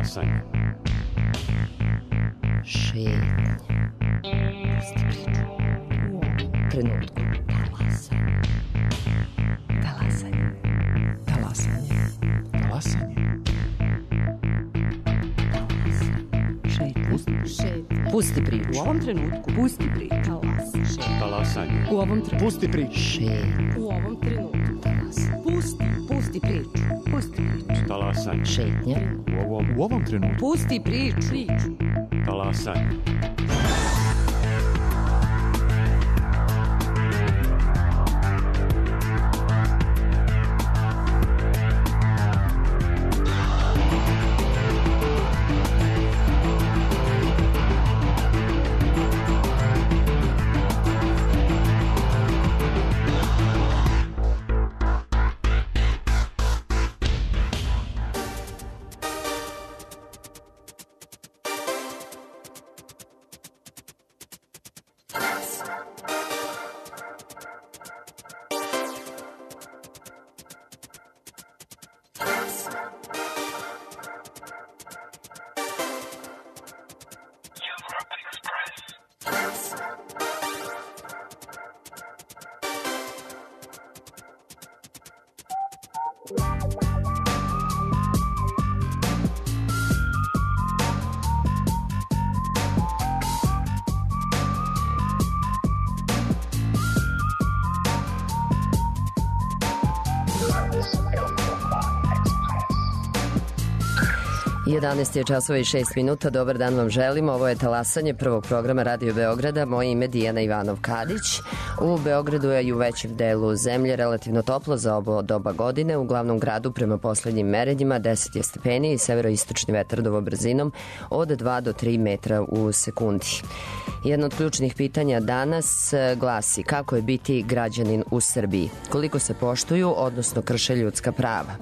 Talasanje. Šetnja. Pusti priču. U ovom trenutku. Talasanje. Talasanje. Talasanje. Talasanje. Šetnja. Pusti priču. U ovom trenutku. Pusti priču. Talasanje. U ovom trenutku. Pusti priču. Šetnja. U ovom trenutku. Pusti priču. Pusti priču. Talasanje. Šetnja. U ovom trenutku. Pusti priču. Talasanje. Jedanaest je časova i 6 minuta. Dobar dan vam želim. Ovo je Talasanje prvog programa Radio Beograda. Moje ime Dijana Ivanov-Kadić. U Beogradu je i u većem delu zemlje relativno toplo za ovo doba godine. U glavnom gradu prema poslednjim merenjima 10 je stepeni i severoistočni vetar dovo brzinom od 2 do 3 metra u sekundi. Jedno od ključnih pitanja danas glasi: kako je biti građanin u Srbiji? Koliko se poštuju, odnosno krše ljudska prava?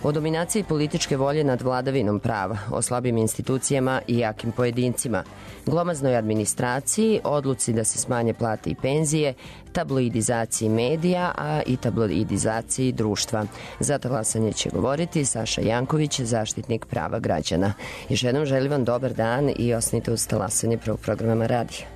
O dominaciji političke volje nad vladavinom prava, o slabim institucijama i jakim pojedincima, glomaznoj administraciji, odluci da se smanje plate i penzije, tabloidizaciji medija, a i tabloidizaciji društva. Za Talasanje će govoriti Saša Janković, zaštitnik prava građana. Još jednom želim vam dobar dan i ostanite uz Talasanje prvog programa radija.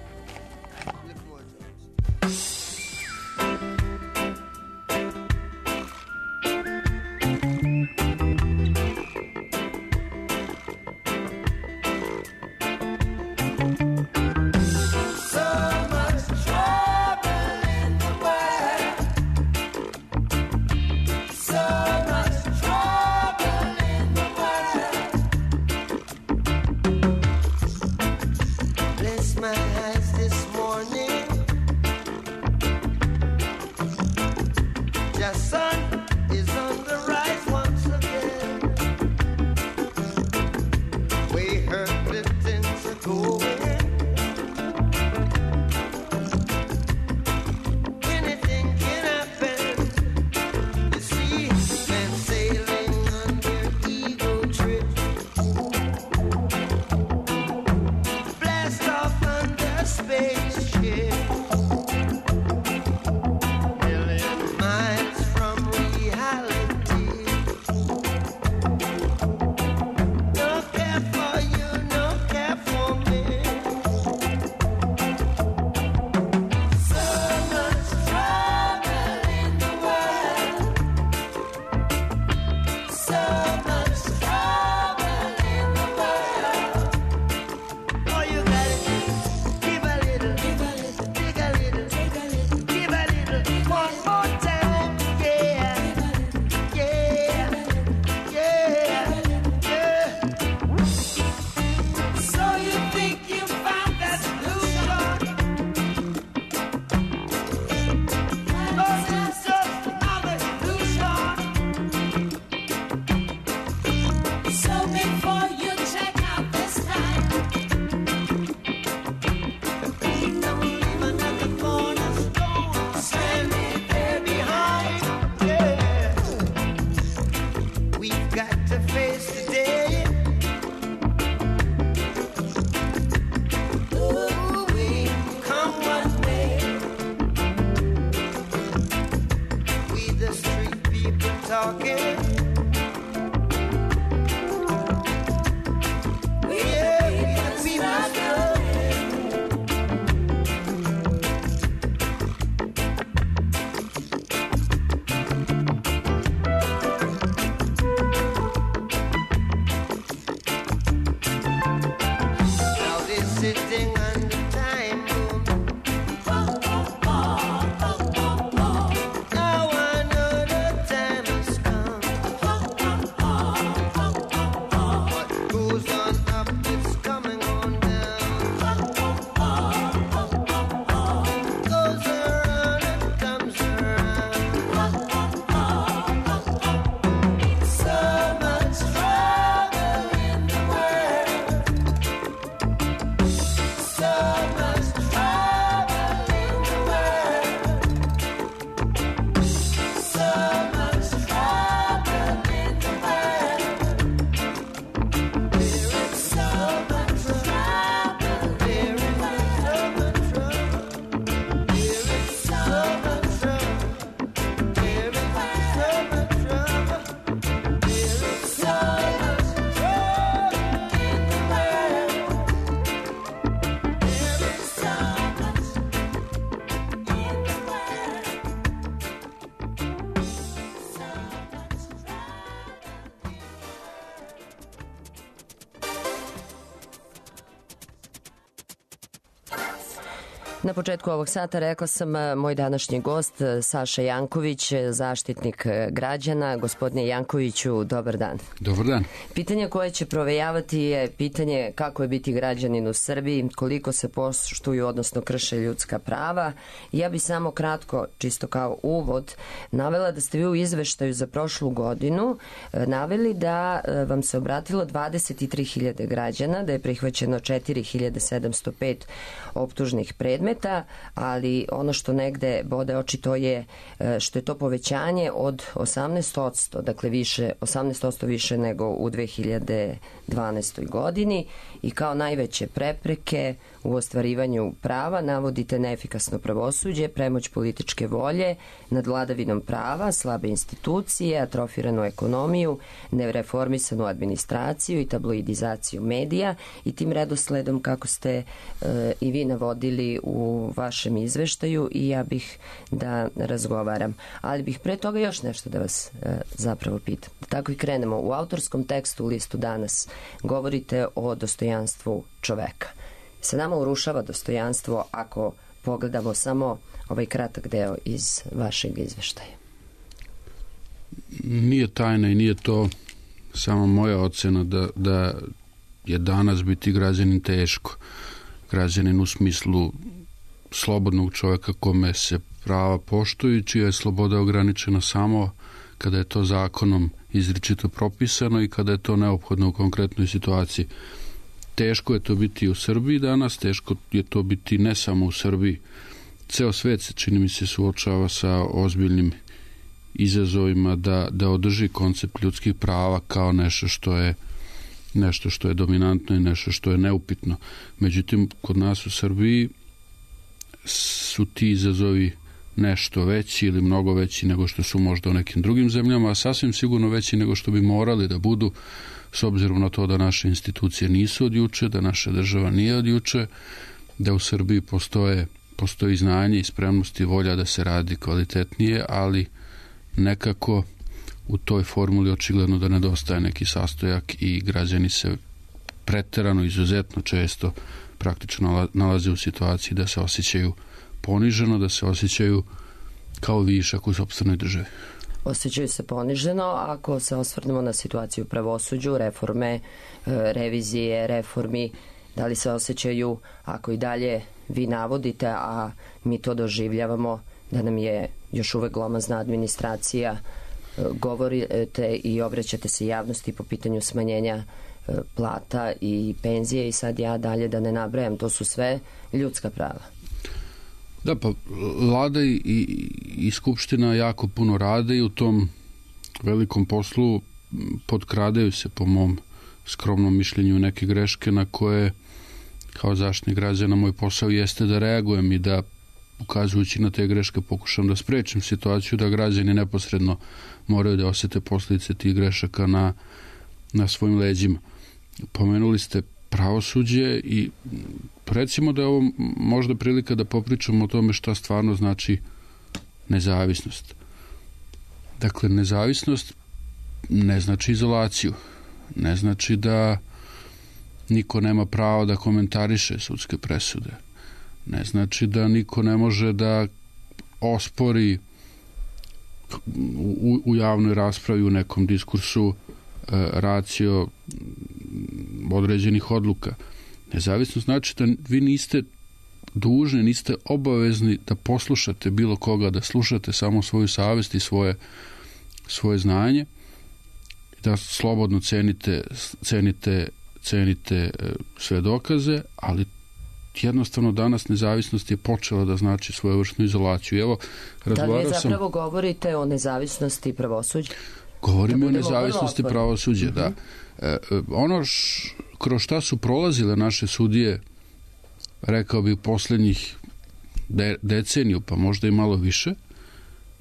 Million miles from Na početku ovog sata rekla sam moj današnji gost Saša Janković, zaštitnik građana. Gospodine Jankoviću, dobar dan. Dobar dan. Pitanje koje će provejavati je pitanje kako je biti građanin u Srbiji, koliko se poštuju, odnosno krše ljudska prava. Ja bi samo kratko, čisto kao uvod, navela da ste vi u izveštaju za prošlu godinu naveli da vam se obratilo 23.000 građana, da je prihvaćeno 4.705 optužnih predmeta, ali ono što negde bode oči to je što je to povećanje od 18%, dakle 18% više nego u 2012. godini i kao najveće prepreke u ostvarivanju prava navodite neefikasno pravosuđe, premoć političke volje nad vladavinom prava, slabe institucije, atrofiranu ekonomiju, nereformisanu administraciju i tabloidizaciju medija i tim redosledom kako ste i vi navodili u vašem izveštaju i ja bih da razgovaram. Ali bih pre toga još nešto da vas zapravo pitam. Tako i krenemo. U autorskom tekstu u listu Danas govorite o dostojanstvu čoveka. Se nama urušava dostojanstvo ako pogledamo samo ovaj kratak deo iz vašeg izveštaja? Nije tajna i nije to samo moja ocena da je danas biti građanin teško. Građanin u smislu slobodnog čoveka kome se prava poštuju, čija je sloboda ograničena samo kada je to zakonom izričito propisano i kada je to neophodno u konkretnoj situaciji. Teško je to biti u Srbiji danas, teško je to biti ne samo u Srbiji. Ceo svet se, čini mi se, suočava sa ozbiljnim izazovima da održi koncept ljudskih prava kao nešto što je dominantno i nešto što je neupitno. Međutim, kod nas u Srbiji su ti izazovi nešto veći ili mnogo veći nego što su možda u nekim drugim zemljama, a sasvim sigurno veći nego što bi morali da budu, s obzirom na to da naše institucije nisu od juče, da naša država nije od juče, da u Srbiji postoji znanje i spremnost i volja da se radi kvalitetnije, ali nekako u toj formuli očigledno da nedostaje neki sastojak i građani se preterano, izuzetno često praktično nalaze u situaciji da se osjećaju poniženo, da se osjećaju kao višak u sopstvenoj državi. Osjećaju se poniženo ako se osvrnemo na situaciju u pravosuđu, reforme, revizije, reformi, da li se osjećaju ako i dalje vi navodite, a mi to doživljavamo da nam je još uvek glomazna administracija, govorite i obraćate se javnosti po pitanju smanjenja plata i penzije i sad ja dalje da ne nabrajam, to su sve ljudska prava. Da, pa Vlada i Skupština jako puno rade i u tom velikom poslu potkradaju se, po mom skromnom mišljenju, neke greške na koje kao zaštitnik građana moj posao jeste da reagujem i da, ukazujući na te greške, pokušam da sprečim situaciju da građani neposredno moraju da osete posljedice tih grešaka na svojim leđima. Pomenuli ste pravosuđe i recimo da je ovo možda prilika da popričamo o tome šta stvarno znači nezavisnost. Dakle, nezavisnost ne znači izolaciju, ne znači da niko nema pravo da komentariše sudske presude, ne znači da niko ne može da ospori u javnoj raspravi, u nekom diskursu racio određenih odluka. Nezavisnost znači da vi niste dužni, niste obavezni da poslušate bilo koga, da slušate samo svoju savest i svoje znanje, da slobodno cenite sve dokaze, ali jednostavno danas nezavisnost je počela da znači svojevrsnu izolaciju. Evo, da li vi zapravo govorite o nezavisnosti pravosuđa? Govorimo o nezavisnosti pravosuđa, da. Ono kroz šta su prolazile naše sudije, rekao bih poslednjih deceniju, pa možda i malo više,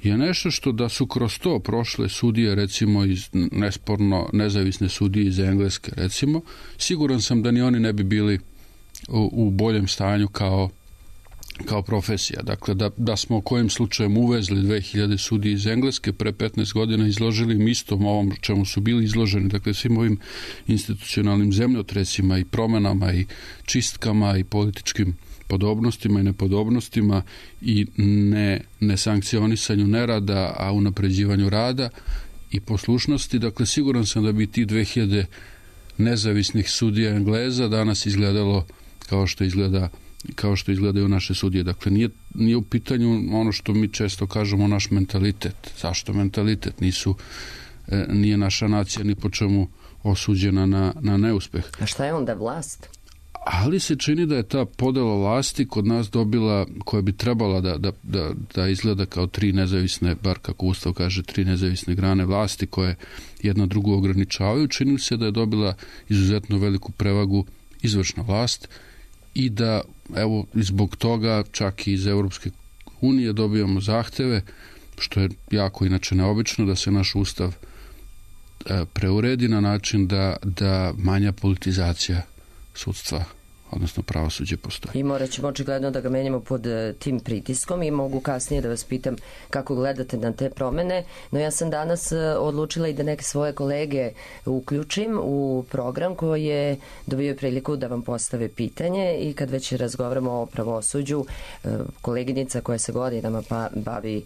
je nešto što da su kroz to prošle sudije, recimo nesporno nezavisne sudije iz Engleske, recimo, siguran sam da ni oni ne bi bili u boljem stanju kao profesija. Dakle, da smo kojim slučajem uvezli 2000 sudije iz Engleske, pre 15 godina izložili im istom ovom čemu su bili izloženi, dakle svim ovim institucionalnim zemljotresima i promenama i čistkama i političkim podobnostima i nepodobnostima i ne sankcionisanju nerada, a unapređivanju rada i poslušnosti. Dakle, siguran sam da bi ti 2000 nezavisnih sudija Engleza danas izgledalo kao što izgledaju naše sudije. Dakle, nije u pitanju ono što mi često kažemo, naš mentalitet. Zašto mentalitet? Nije naša nacija ni po čemu osuđena na neuspeh. A šta je onda vlast? Ali se čini da je ta podela vlasti kod nas dobila, koja bi trebala da izgleda kao tri nezavisne, bar kako Ustav kaže, tri nezavisne grane vlasti koje jedna drugu ograničavaju, čini se da je dobila izuzetno veliku prevagu izvršna vlast i da, evo, zbog toga čak i iz Europske unije dobijamo zahteve, što je jako inače neobično, da se naš Ustav preuredi na način da manja politizacija sudstva, odnosno pravosuđe, postoji. I morat ćemo očigledno da ga menjamo pod tim pritiskom i mogu kasnije da vas pitam kako gledate na te promene, no ja sam danas odlučila i da neke svoje kolege uključim u program koji je dobio priliku da vam postave pitanje i kad već razgovaramo o pravosuđu, koleginica koja se godinama bavi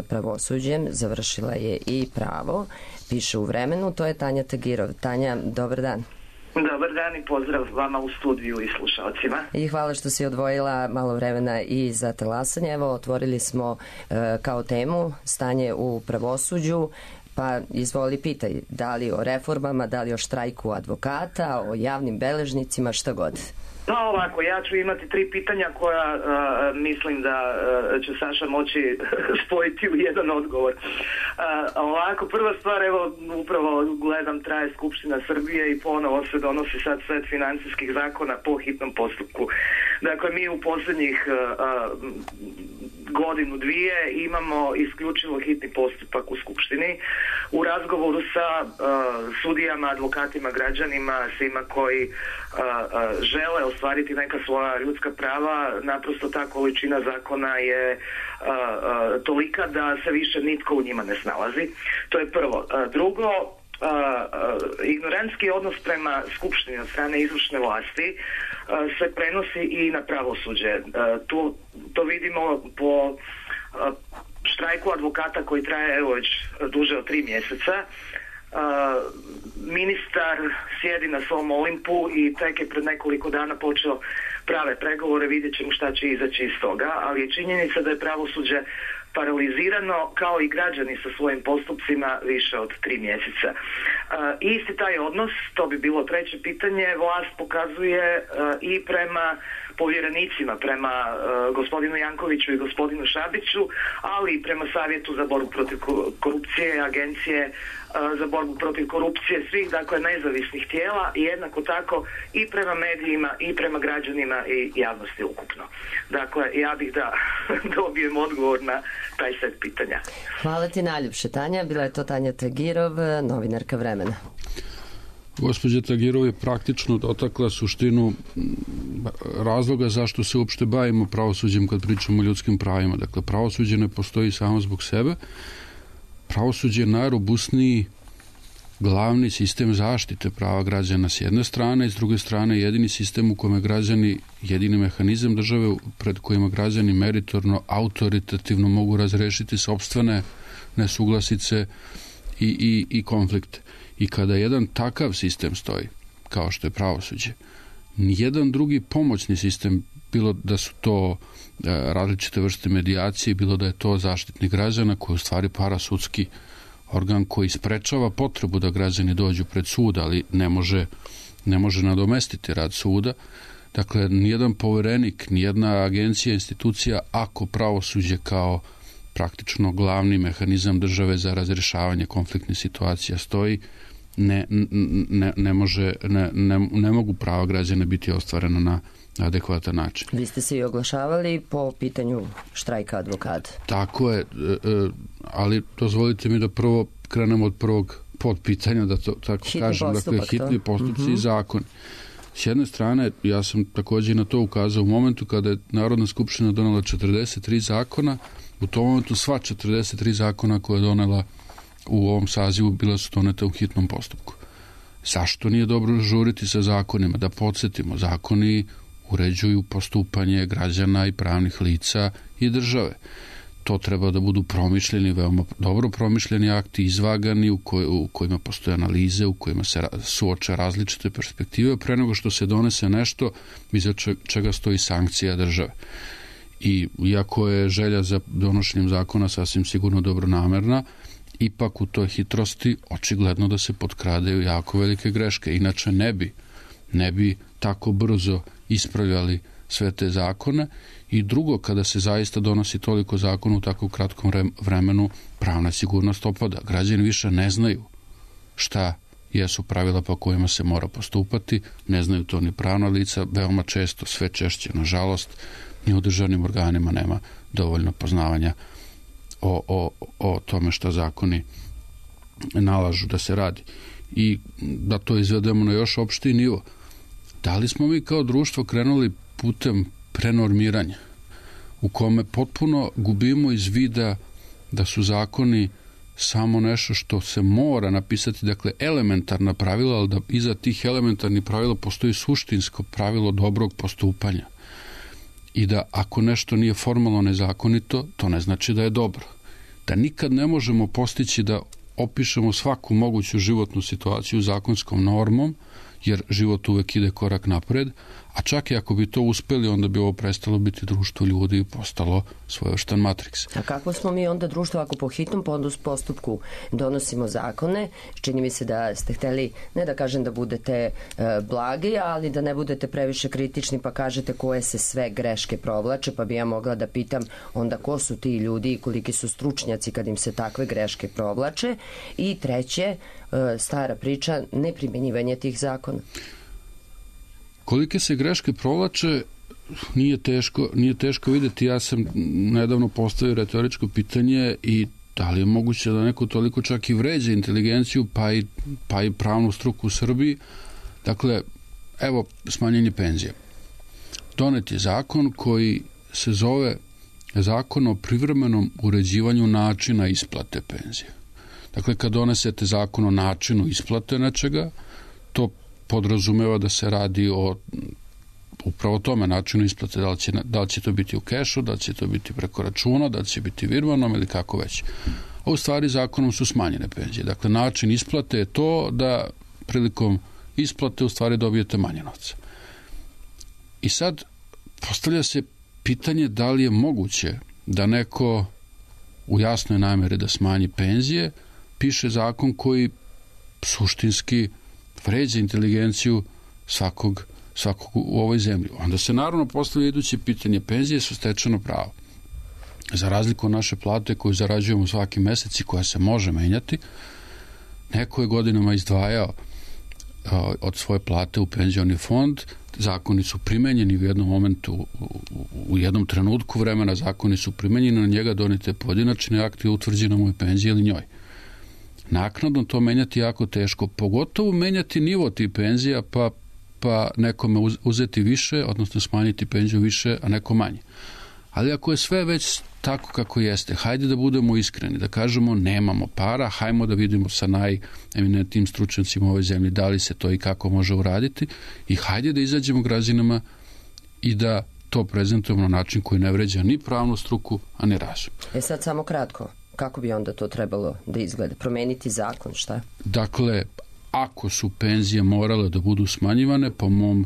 pravosuđem, završila je i pravo, piše u Vremenu, to je Tanja Tagirov. Tanja, dobar dan. Dobar dan i pozdrav vama u studiju i slušalcima. I hvala što si odvojila malo vremena i za talasanje. Evo, otvorili smo kao temu stanje u pravosuđu, pa izvoli pitaj, da li o reformama, da li o štrajku advokata, o javnim beležnicima, šta god. Pa ovako, ja ću imati 3 pitanja koja mislim da će Saša moći spojiti u jedan odgovor. Ovako, prva stvar, evo, upravo gledam, traje Skupština Srbije i ponovo se donosi sad set financijskih zakona po hitnom postupku. Dakle, mi u posljednjih godinu, dvije imamo isključivo hitni postupak u Skupštini. U razgovoru sa sudijama, advokatima, građanima, svima koji žele ostvariti neka svoja ljudska prava, naprosto ta količina zakona je tolika da se više nitko u njima ne snalazi. To je prvo. Drugo, ignorantski odnos prema Skupštini od strane izvršne vlasti se prenosi i na pravosuđe. To vidimo po štrajku advokata koji traje evo već duže od 3 mjeseca. Ministar sjedi na svom Olimpu i tek je pred nekoliko dana počeo prave pregovore, vidjet ćemo šta će izaći iz toga, ali je činjenica da je pravosuđe paralizirano kao i građani sa svojim postupcima više od 3 mjeseca. Isti taj odnos, to bi bilo treće pitanje, vlast pokazuje i prema povjerenicima, prema gospodinu Jankoviću i gospodinu Šabiću, ali i prema Savjetu za borbu protiv korupcije, Agencije za borbu protiv korupcije, svih dakle nezavisnih tijela i jednako tako i prema medijima i prema građanima i javnosti ukupno. Dakle, ja bih da dobijem odgovor na taj set pitanja. Hvala ti najljepše, Tanja. Bila je to Tanja Tagirov, novinarka Vremena. Gospođa Tagirov je praktično dotakla suštinu razloga zašto se uopšte bavimo pravosuđem kad pričamo o ljudskim pravima. Dakle, pravosuđe ne postoji samo zbog sebe. Pravosuđe je najrobusniji glavni sistem zaštite prava građana s jedne strane i s druge strane jedini sistem u kome građani, jedini mehanizam države pred kojima građani meritorno, autoritativno mogu razrešiti sopstvene nesuglasice i konflikte. I kada jedan takav sistem stoji, kao što je pravosuđe, nijedan drugi pomoćni sistem, bilo da su to različite vrste medijacije, bilo da je to zaštitnik građana koji u stvari parasudski organ koji sprečava potrebu da građani dođu pred sud, ali ne može nadomestiti rad suda. Dakle, nijedan poverenik, nijedna agencija, institucija, ako pravosuđe kao praktično glavni mehanizam države za razrješavanje konfliktnih situacija stoji, ne mogu prava građana biti ostvarena na adekvatan način. Vi ste se i oglašavali po pitanju štrajka advokata. Tako je, ali dozvolite mi da prvo krenemo od prvog podpitanja, da to tako kažem, dakle hitni postupci i zakon. S jedne strane, ja sam također na to ukazao u momentu kada je Narodna skupština donela 43 zakona, u tom momentu sva 43 zakona koje je donela u ovom sazivu bila su donete u hitnom postupku. Zašto nije dobro žuriti sa zakonima? Da podsjetimo, zakoni uređuju postupanje građana i pravnih lica i države. To treba da budu promišljeni, veoma dobro promišljeni akti, izvagani, u kojima postoje analize, u kojima se suoče različite perspektive, pre nego što se donese nešto iza čega stoji sankcija države. I iako je želja za donošenjem zakona sasvim sigurno dobronamerna, ipak u toj hitrosti očigledno da se potkradaju jako velike greške. Inače ne bi tako brzo ispravljali sve te zakone. I drugo, kada se zaista donosi toliko zakona u tako kratkom vremenu, pravna sigurnost opada. Građani više ne znaju šta jesu pravila po kojima se mora postupati, ne znaju to ni pravna lica, veoma često, sve češće, nažalost, ni u državnim organima nema dovoljno poznavanja o tome šta zakoni nalažu da se radi. I da to izvedemo na još opštiji nivo. Da li smo mi kao društvo krenuli putem prenormiranja, u kome potpuno gubimo iz vida da su zakoni samo nešto što se mora napisati, dakle elementarna pravila, ali da iza tih elementarnih pravila postoji suštinsko pravilo dobrog postupanja. I da ako nešto nije formalno nezakonito, to ne znači da je dobro. Da nikad ne možemo postići da opišemo svaku moguću životnu situaciju zakonskom normom, jer život uvek ide korak napred, a čak i ako bi to uspeli, onda bi ovo prestalo biti društvo ljudi i postalo svojevrstan matriks. A kako smo mi onda društvo ako po hitnom postupku donosimo zakone? Čini mi se da ste hteli, ne da kažem da budete blagi, ali da ne budete previše kritični pa kažete koje se sve greške provlače, pa bi ja mogla da pitam onda ko su ti ljudi i koliki su stručnjaci kad im se takve greške provlače. I treće, stara priča, neprimjenjivanje tih zakona. Kolike se greške provlače, nije teško videti. Ja sam nedavno postavio retoričko pitanje i da li je moguće da neko toliko čak i vređa inteligenciju pa i pravnu struku u Srbiji. Dakle, evo smanjenje penzija. Donet je zakon koji se zove Zakon o privremenom uređivanju načina isplate penzije. Dakle, kad donesete zakon o načinu isplate nečega, to podrazumeva da se radi o upravo tome načinu isplate, da li će to biti u kešu, da li će to biti preko računa, da li će biti virmanom ili kako već. A u stvari zakonom su smanjene penzije. Dakle, način isplate je to da prilikom isplate u stvari dobijete manje novca. I sad postavlja se pitanje da li je moguće da neko u jasnoj nameri da smanji penzije piše zakon koji suštinski vređa inteligenciju svakog u ovoj zemlji. Onda se naravno postavlja iduće pitanje. Penzije su stečeno pravo. Za razliku od naše plate koju zarađujemo svaki mesec i koja se može menjati, neko je godinama izdvajao od svoje plate u penzioni fond. Zakoni su primenjeni u jednom momentu, u jednom trenutku vremena zakoni su primenjeni, na njega donete pojedinačni akti i utvrđena mu je penzija ili njoj. Naknadno to menjati jako teško, pogotovo menjati nivo tih penzija pa nekome uzeti više, odnosno smanjiti penziju više, a neko manje. Ali ako je sve već tako kako jeste, hajde da budemo iskreni, da kažemo nemamo para, hajmo da vidimo sa najeminentnijim stručnjacima u ovoj zemlji da li se to i kako može uraditi i hajde da izađemo građanima i da to prezentujemo na način koji ne vređa ni pravnu struku, a ni razum. Sad samo kratko, kako bi onda to trebalo da izgleda? Promeniti zakon, šta? Dakle, ako su penzije morale da budu smanjivane, po mom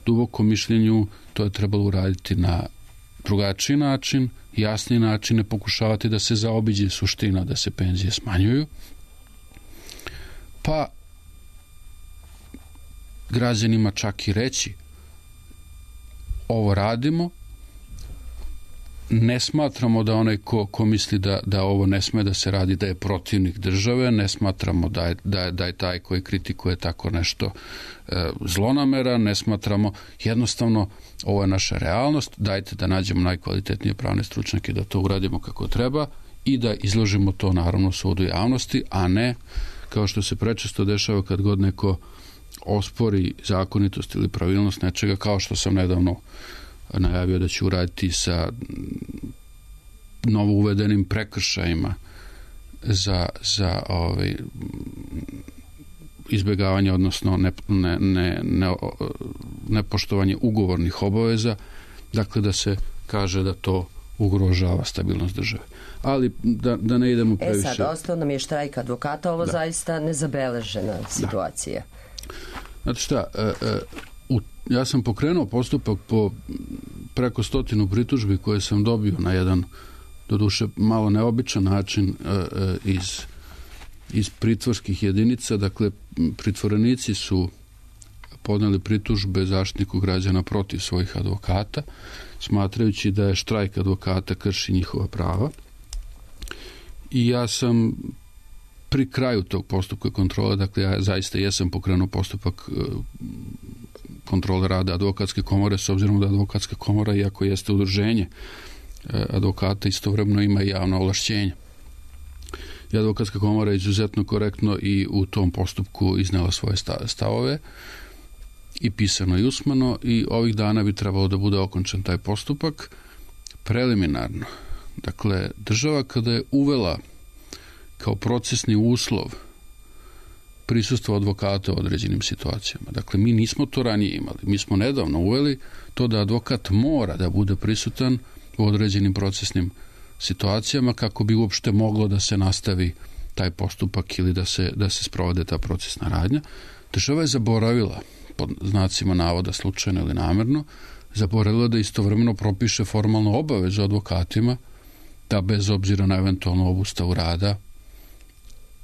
dubokom mišljenju, to je trebalo uraditi na drugačiji način, jasniji način, ne pokušavati da se zaobiđe suština da se penzije smanjuju, pa građanima čak i reći ovo radimo, ne smatramo da onaj ko misli da ovo ne sme da se radi, da je protivnik države, ne smatramo da je taj koji kritikuje tako nešto zlonamera, ne smatramo, jednostavno ovo je naša realnost, dajte da nađemo najkvalitetnije pravne stručnjake da to uradimo kako treba i da izložimo to naravno sudu javnosti, a ne kao što se prečesto dešava kad god neko ospori zakonitost ili pravilnost nečega, kao što sam nedavno najavio da će uraditi sa novo uvedenim prekršajima za izbjegavanje, odnosno nepoštovanje ugovornih obaveza, dakle da se kaže da to ugrožava stabilnost države. Ali da ne idemo previše... Sad, ostao nam je štrajk advokata, ovo zaista nezabeležena situacija. Znate šta, ja sam pokrenuo postupak po preko 100 pritužbi koje sam dobio na jedan, doduše malo neobičan način iz pritvorskih jedinica. Dakle, pritvorenici su podneli pritužbe Zaštitniku građana protiv svojih advokata, smatrajući da je štrajk advokata krši njihova prava. I ja sam pri kraju tog postupka kontrole, dakle ja zaista jesam pokrenuo postupak kontrole rada advokatske komore, s obzirom da advokatska komora, iako jeste udruženje advokata, istovremeno ima i javno ovlašćenje. I advokatska komora je izuzetno korektno i u tom postupku iznela svoje stavove, i pisano i usmeno, i ovih dana bi trebalo da bude okončan taj postupak preliminarno. Dakle, država kada je uvela kao procesni uslov prisustvo advokata u određenim situacijama. Dakle, mi nismo to ranije imali. Mi smo nedavno uveli to da advokat mora da bude prisutan u određenim procesnim situacijama kako bi uopšte moglo da se nastavi taj postupak ili da se sprovede ta procesna radnja. Država je zaboravila, pod znacima navoda slučajno ili namerno, zaboravila da istovremeno propiše formalnu obavezu advokatima da bez obzira na eventualnu obustavu rada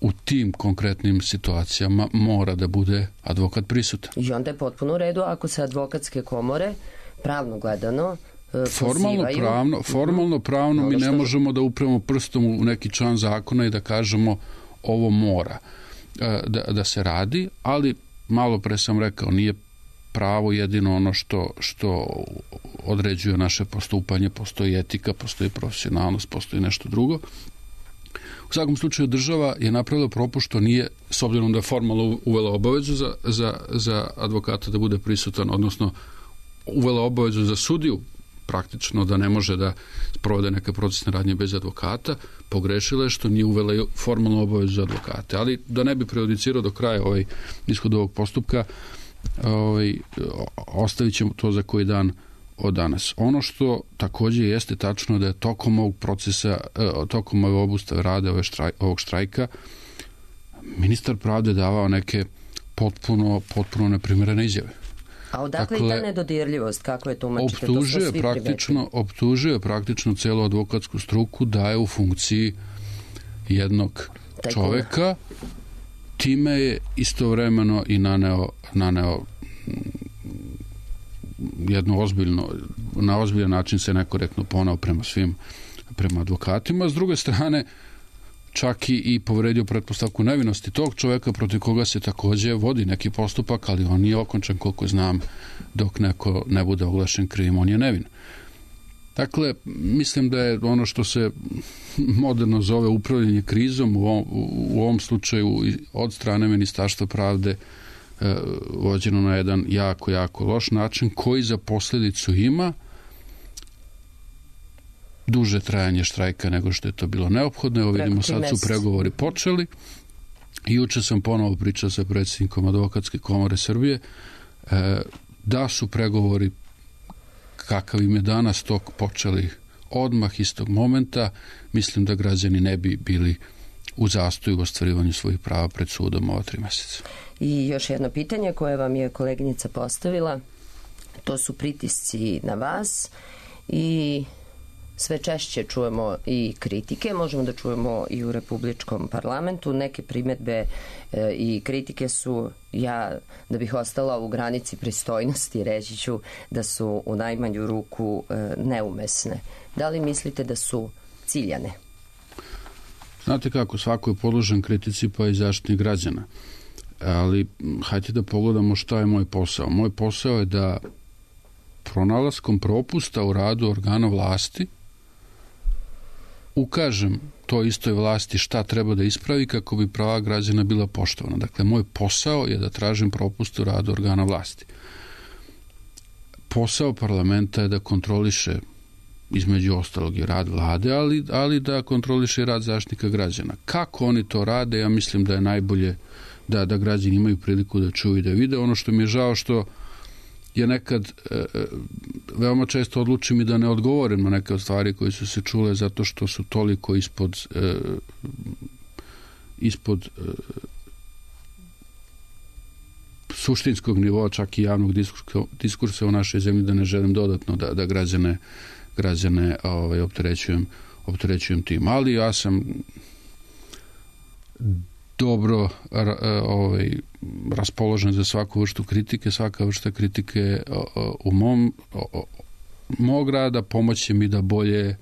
u tim konkretnim situacijama mora da bude advokat prisutan. I onda je potpuno u redu ako se advokatske komore pravno gledano Formalno pravno mi ne možemo da upremo prstom u neki član zakona i da kažemo ovo mora da se radi, ali malo pre sam rekao, nije pravo jedino ono što određuje naše postupanje, postoji etika, postoji profesionalnost, postoji nešto drugo. U svakom slučaju država je napravila propust što nije, s obzirom da je formalno uvela obavezu za advokata da bude prisutan, odnosno uvela obavezu za sudiju praktično da ne može da sprovede neke procesne radnje bez advokata, pogrešila je što nije uvela formalnu obavezu za advokate. Ali da ne bi prejudicirao do kraja ishod ovog postupka, ostavit ćemo to za koji dan od danas. Ono što također jeste tačno da je tokom ovog procesa, tokom ove obustave rada ovog štrajka, ministar pravde davao neke potpuno neprimjerene izjave. A odakle i ta nedodirljivost? Kako je tumačite? To smo svi optužuje praktično celu advokatsku struku da je u funkciji jednog čoveka, time je istovremeno i naneo jedno na ozbiljan način se nekorektno ponao prema advokatima. S druge strane, čak i povredio pretpostavku nevinosti tog čoveka protiv koga se također vodi neki postupak, ali on nije okončan, koliko znam, dok neko ne bude oglašen krivim, on je nevin. Dakle, mislim da je ono što se moderno zove upravljanje krizom u ovom slučaju od strane Ministarstva pravde vođeno na jedan jako loš način koji za posljedicu ima duže trajanje štrajka nego što je to bilo neophodno. Evo vidimo, sad su pregovori počeli. Juče sam ponovo pričao sa predsjednikom Advokatske komore Srbije da su pregovori kakav im je danas tok počeli odmah istog momenta. Mislim da građani ne bi bili u zastoju u ostvarivanju svojih prava pred sudom ova 3 mjeseca. I još jedno pitanje koje vam je koleginica postavila, to su pritisci na vas i sve češće čujemo i kritike, možemo da čujemo i u Republičkom parlamentu. Neke primjedbe i kritike su, ja da bih ostala u granici pristojnosti, reći ću da su u najmanju ruku neumesne. Da li mislite da su ciljane? Znate kako, svako je podložen kritici, pa i Zaštitnik građana. Ali hajde da pogledamo šta je moj posao. Moj posao je da pronalaskom propusta u radu organa vlasti ukažem toj istoj vlasti šta treba da ispravi kako bi prava građana bila poštovana. Dakle, moj posao je da tražim propust u radu organa vlasti. Posao parlamenta je da kontroliše između ostalog i rad vlade, ali da kontroliše i rad Zaštitnika građana. Kako oni to rade, ja mislim da je da građani imaju priliku da čuju i da vide. Ono što mi je žao što je nekad veoma često odlučim i da ne odgovorim na neke od stvari koje su se čule zato što su toliko ispod suštinskog nivoa, čak i javnog diskursa u našoj zemlji, da ne želim dodatno da građane opterećujem tim. Ali ja sam dobro raspoložen za svaku vrstu kritike. Svaka vrsta kritike u mog rada pomoći mi da bolje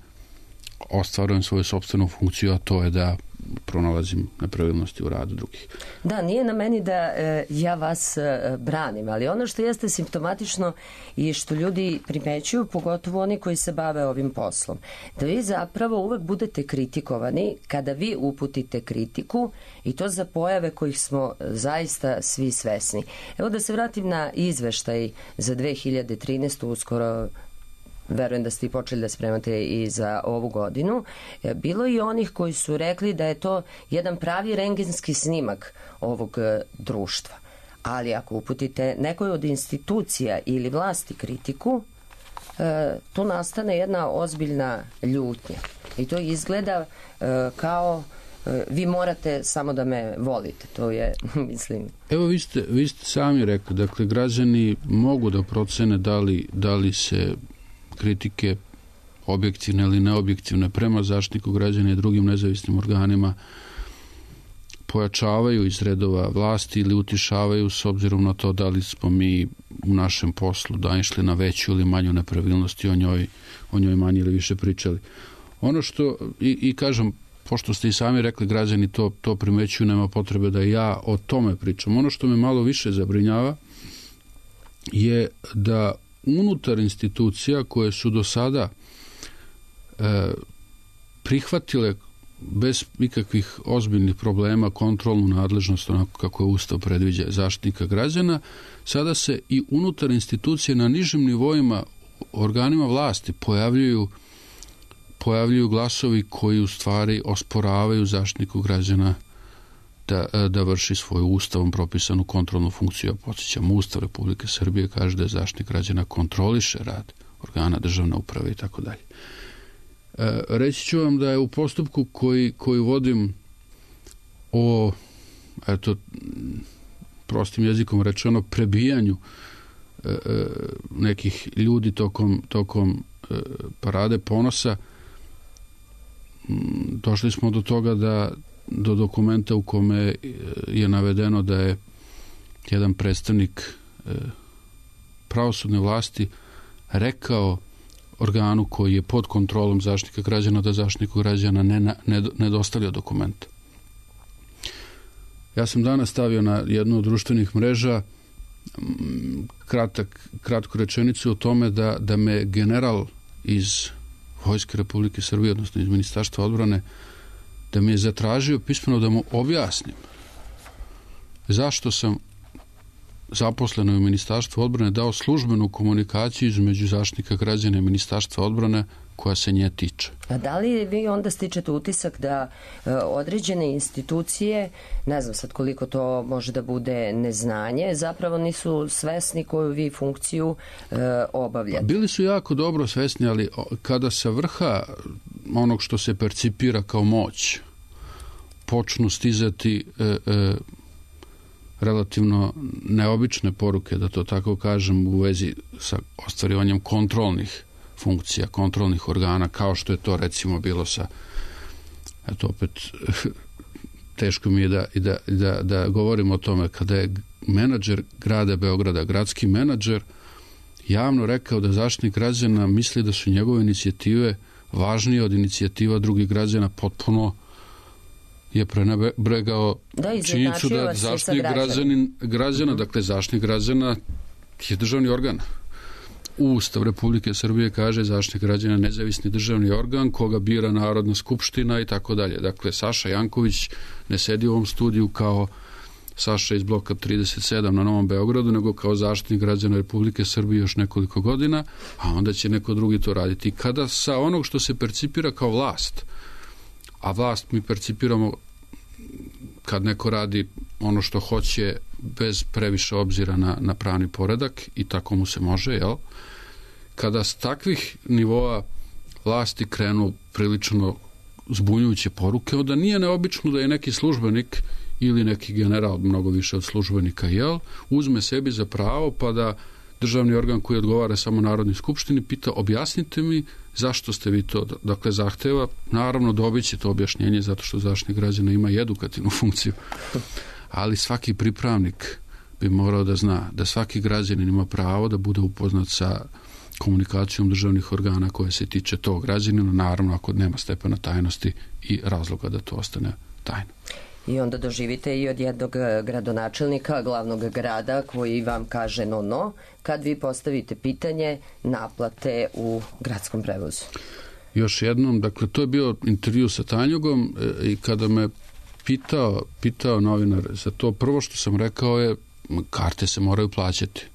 ostvarujem svoju sopstvenu funkciju, a to je da pronalazim nepravilnosti u radu drugih. Da, nije na meni da ja vas branim, ali ono što jeste simptomatično i što ljudi primećuju, pogotovo oni koji se bave ovim poslom, da vi zapravo uvek budete kritikovani kada vi uputite kritiku i to za pojave kojih smo zaista svi svesni. Evo da se vratim na izveštaj za 2013. uskoro verujem da ste i počeli da spremate i za ovu godinu, bilo i onih koji su rekli da je to jedan pravi rentgenski snimak ovog društva. Ali ako uputite nekoj od institucija ili vlasti kritiku, tu nastane jedna ozbiljna ljutnja. I to izgleda kao vi morate samo da me volite. To je, mislim... Evo, vi ste sami rekli, dakle, građani mogu da procene da li se kritike objektivne ili neobjektivne prema Zaštitniku građana i drugim nezavisnim organima pojačavaju iz redova vlasti ili utišavaju s obzirom na to da li smo mi u našem poslu išli na veću ili manju nepravilnost i o njoj manje ili više pričali. Ono što, i kažem, pošto ste i sami rekli, građani to primećuju, nema potrebe da ja o tome pričam. Ono što me malo više zabrinjava je da unutar institucija koje su do sada prihvatile bez ikakvih ozbiljnih problema kontrolnu nadležnost, onako kako je Ustav predviđa Zaštitnika građana, sada se i unutar institucije na nižim nivoima organima vlasti pojavljuju glasovi koji u stvari osporavaju Zaštitniku građana da vrši svoju ustavom propisanu kontrolnu funkciju. Podsjećam, Ustav Republike Srbije kaže da Zaštitnik građana kontroliše rad organa državne uprave i tako dalje. Reći ću vam da je u postupku koji vodim o, prostim jezikom rečeno, prebijanju nekih ljudi tokom parade ponosa, došli smo do toga do dokumenta u kome je navedeno da je jedan predstavnik pravosudne vlasti rekao organu koji je pod kontrolom Zaštitnika građana da Zaštitniku građana ne dostavlja dokument. Ja sam danas stavio na jednu od društvenih mreža kratku rečenicu o tome da me general iz Vojske Republike Srbije, odnosno iz Ministarstva odbrane, da mi je zatražio pismeno da mu objasnim zašto sam zaposlenoj u Ministarstvu odbrane dao službenu komunikaciju između Zaštitnika građana i Ministarstva odbrane koja se nje tiče. A da li vi onda stičete utisak da određene institucije, ne znam sad koliko to može da bude neznanje, zapravo nisu svesni koju vi funkciju obavljate? Bili su jako dobro svesni, ali kada sa vrha onog što se percipira kao moć počnu stizati relativno neobične poruke, da to tako kažem, u vezi sa ostvarivanjem kontrolnih funkcija, kontrolnih organa, kao što je to recimo bilo sa, eto opet teško mi je da govorim o tome, kada je menadžer grada Beograda, gradski menadžer, javno rekao da Zaštitnik građana misli da su njegove inicijative važnije od inicijativa drugih građana, potpuno je prenebregao činjenicu da Zaštitnik građana, dakle Zaštitnik građana je državni organ. Ustav Republike Srbije kaže Zaštitnik građana nezavisni državni organ koga bira Narodna skupština i tako dalje. Dakle, Saša Janković ne sedi u ovom studiju kao Saša iz bloka 37 na Novom Beogradu, nego kao Zaštitnik građana Republike Srbije još nekoliko godina, a onda će neko drugi to raditi. Kada sa onog što se percipira kao vlast, a vlast mi percipiramo kad neko radi ono što hoće bez previše obzira na pravni poredak i tako mu se može, jel? Kada s takvih nivoa vlasti krenu prilično zbunjujuće poruke, onda nije neobično da je neki službenik ili neki general, mnogo više od službenika, jel, uzme sebi za pravo pa da državni organ koji odgovara samo Narodnoj skupštini pita objasnite mi zašto ste vi to, dakle zahteva, naravno dobit će to objašnjenje zato što Zaštitnik građana ima i edukativnu funkciju, ali svaki pripravnik bi morao da zna da svaki građanin ima pravo da bude upoznat sa komunikacijom državnih organa koje se tiče tog građanina, naravno ako nema stepena tajnosti i razloga da to ostane tajno. I onda doživite i od jednog gradonačelnika glavnog grada koji vam kaže no, kad vi postavite pitanje naplate u gradskom prevozu. Još jednom, dakle, to je bio intervju sa Tanjugom i kada me pitao novinar za to, prvo što sam rekao je karte se moraju plaćati.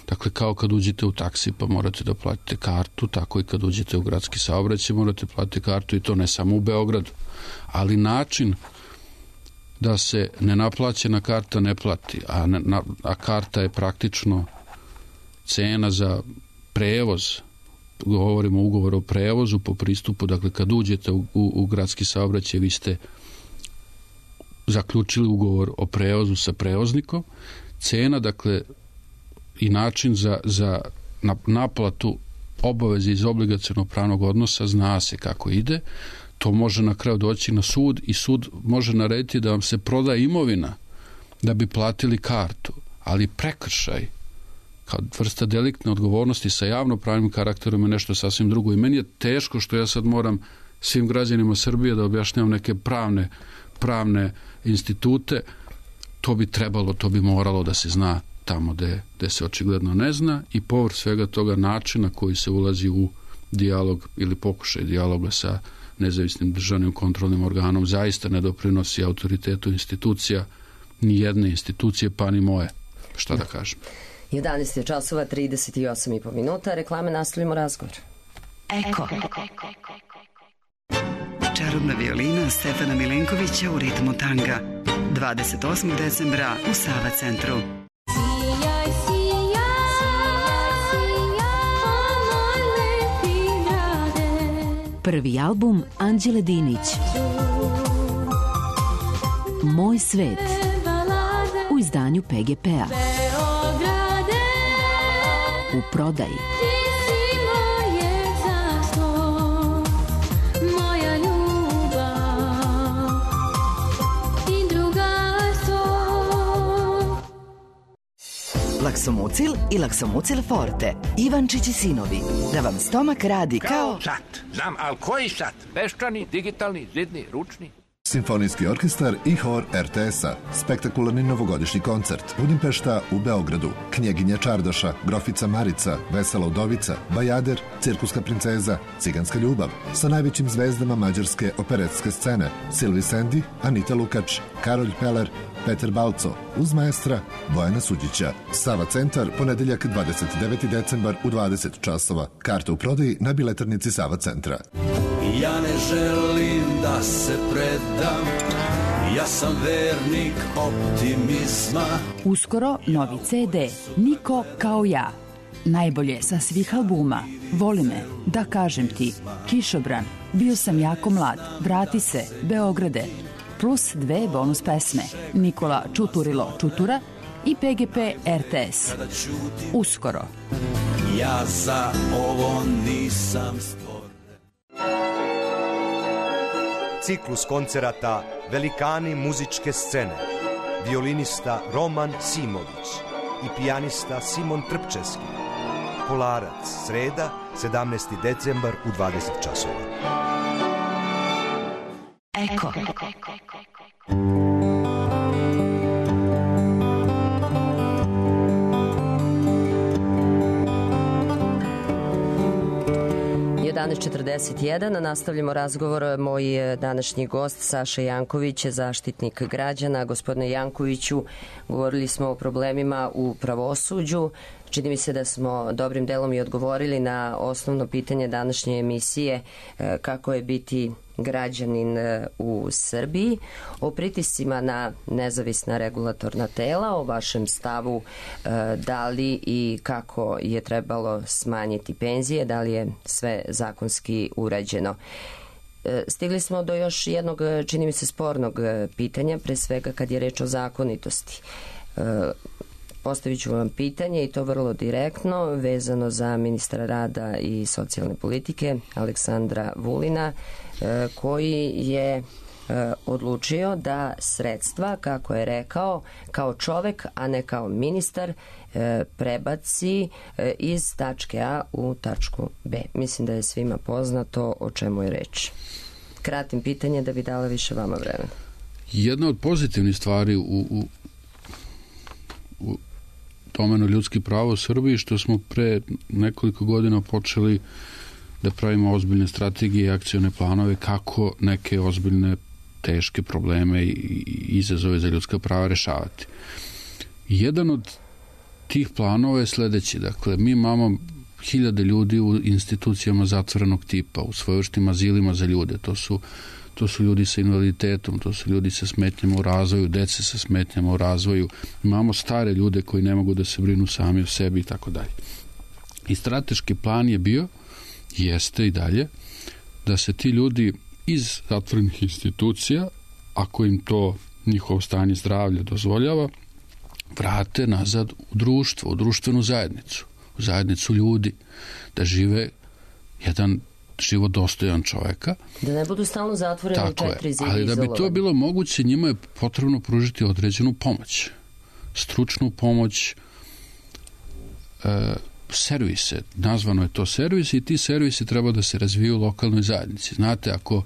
Dakle, kao kad uđete u taksi pa morate da platite kartu, tako i kad uđete u gradski saobraćaj morate platiti kartu i to ne samo u Beogradu. Ali način da se nenaplaćena karta ne plati, a karta je praktično cena za prevoz, govorimo o ugovoru o prevozu po pristupu, dakle kad uđete u gradski saobraćaj vi ste zaključili ugovor o prevozu sa prevoznikom, cena, dakle, i način za naplatu obaveze iz obligacionog pravnog odnosa zna se kako ide. To može na kraju doći na sud i sud može narediti da vam se proda imovina da bi platili kartu, ali prekršaj kao vrsta deliktne odgovornosti sa javnopravnim karakterom je nešto sasvim drugo. I meni je teško što ja sad moram svim građanima Srbije da objašnjavam neke pravne institute. To bi moralo da se zna tamo gde se očigledno ne zna i povrh svega toga načina koji se ulazi u dijalog ili pokušaj dijaloga sa nezavisnim državnim kontrolnim organom zaista ne doprinosi autoritetu institucija, ni jedne institucije, pa ni moje. Šta da kažem? 11 časova, 38,5 minuta. Reklame, nastavimo razgovor. Eko. Čarobna violina Stefana Milenkovića u ritmu tanga. 28. decembra u Sava centru. Prvi album Anđele Dinić. Moj svet. U izdanju PGP-a. U prodaji. Laksomucil i Laksomucil Forte. Ivančić i sinovi. Da vam stomak radi kao... sat. Znam, ali koji sat? Peščani, digitalni, zidni, ručni? Simfonijski orkestar i hor RTS-a. Spektakularni novogodišnji koncert. Budimpešta u Beogradu. Knjeginja Čardaša, Grofica Marica, Vesela Udovica, Bajader, Cirkuska princeza, Ciganska ljubav. Sa najvećim zvezdama mađarske operetske scene. Silvi Sendi, Anita Lukač, Karolj Peler, Peter Balco, uz maestra Bojana Suđića. Sava centar, ponedeljak 29. decembar u 20 časova. Karta u prodaji na biletarnici Sava centra. Ja ne želim da se predam, ja sam vernik optimizma. Uskoro novi CD, Niko kao ja. Najbolje sa svih albuma. Voli me, da kažem ti, Kišobran, bio sam jako mlad, vrati se, Beograde. Plus 2 bonus pesme, Nikola Čuturilo Čutura i PGP RTS. Uskoro. Ja za ovo nisam stvoren. Ciklus koncerata Velikani muzičke scene. Violinista Roman Simović i pijanista Simon Trpčevski. Kolarac, sreda, 17. decembar u 20 časova. Eko. Danas 41, nastavljamo razgovor. Moj današnji gost Saša Janković, zaštitnik građana. Gospodine Jankoviću, govorili smo o problemima u pravosuđu. Čini mi se da smo dobrim delom i odgovorili na osnovno pitanje današnje emisije, kako je biti građanin u Srbiji, o pritiscima na nezavisna regulatorna tela, o vašem stavu da li i kako je trebalo smanjiti penzije, da li je sve zakonski urađeno. Stigli smo do još jednog, čini mi se, spornog pitanja, pre svega kad je reč o zakonitosti. Postavit ću vam pitanje i to vrlo direktno, vezano za ministra rada i socijalne politike Aleksandra Vulina, koji je odlučio da sredstva, kako je rekao, kao čovek, a ne kao ministar, prebaci iz tačke A u tačku B. Mislim da je svima poznato o čemu je reč. Kratim pitanje da bi dala više vama vremena. Jedna od pozitivnih stvari u domenu ljudskih prava u Srbiji, što smo pre nekoliko godina počeli da pravimo ozbiljne strategije i akcione planove kako neke ozbiljne teške probleme i izazove za ljudska prava rešavati. Jedan od tih planova je sledeći. Dakle, mi imamo 1000 ljudi u institucijama zatvorenog tipa, u svojevrsnim azilima za ljude. To su ljudi sa invaliditetom, to su ljudi sa smetnjama u razvoju, dece sa smetnjama u razvoju. Imamo stare ljude koji ne mogu da se brinu sami o sebi i tako dalje. I strateški plan je bio, jeste i dalje, da se ti ljudi iz zatvorenih institucija, ako im to njihovo stanje zdravlja dozvoljava, vrate nazad u društvo, u društvenu zajednicu, u zajednicu ljudi, da žive jedan život dostojan čoveka. Da ne budu stalno zatvoreni u 4 zida izolovani. Ali da bi to bilo moguće, njima je potrebno pružiti određenu pomoć. Stručnu pomoć, servise. Nazvano je to servis i ti servisi treba da se razviju u lokalnoj zajednici. Znate, ako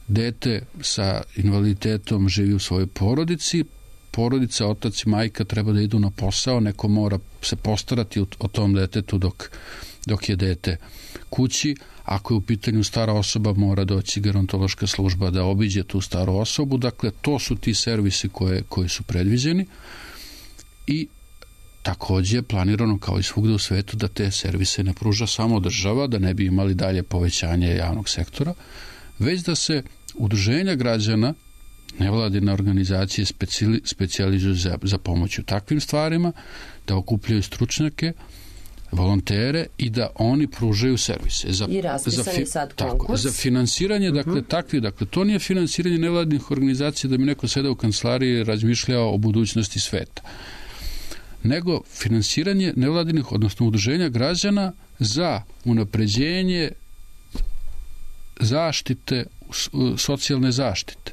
dete sa invaliditetom živi u svojoj porodici, porodica, otac i majka treba da idu na posao, neko mora se postarati o tom detetu dok je dete kući. Ako je u pitanju stara osoba, mora doći gerontološka služba da obiđe tu staru osobu. Dakle, to su ti servisi koji su predviđeni i takođe je planirano kao i svugde u svetu da te servise ne pruža samo država, da ne bi imali dalje povećanje javnog sektora, već da se udruženja građana, nevladine organizacije specijalizuju za pomoć u takvim stvarima, da okupljaju stručnjake, volontere i da oni pružaju servise. I raspisani sad konkurs. Za finansiranje, dakle, to nije finansiranje nevladnih organizacija da mi neko seda u kancelariji i razmišljao o budućnosti sveta, nego finansiranje nevladinih, odnosno udruženja građana za unapređenje zaštite, socijalne zaštite.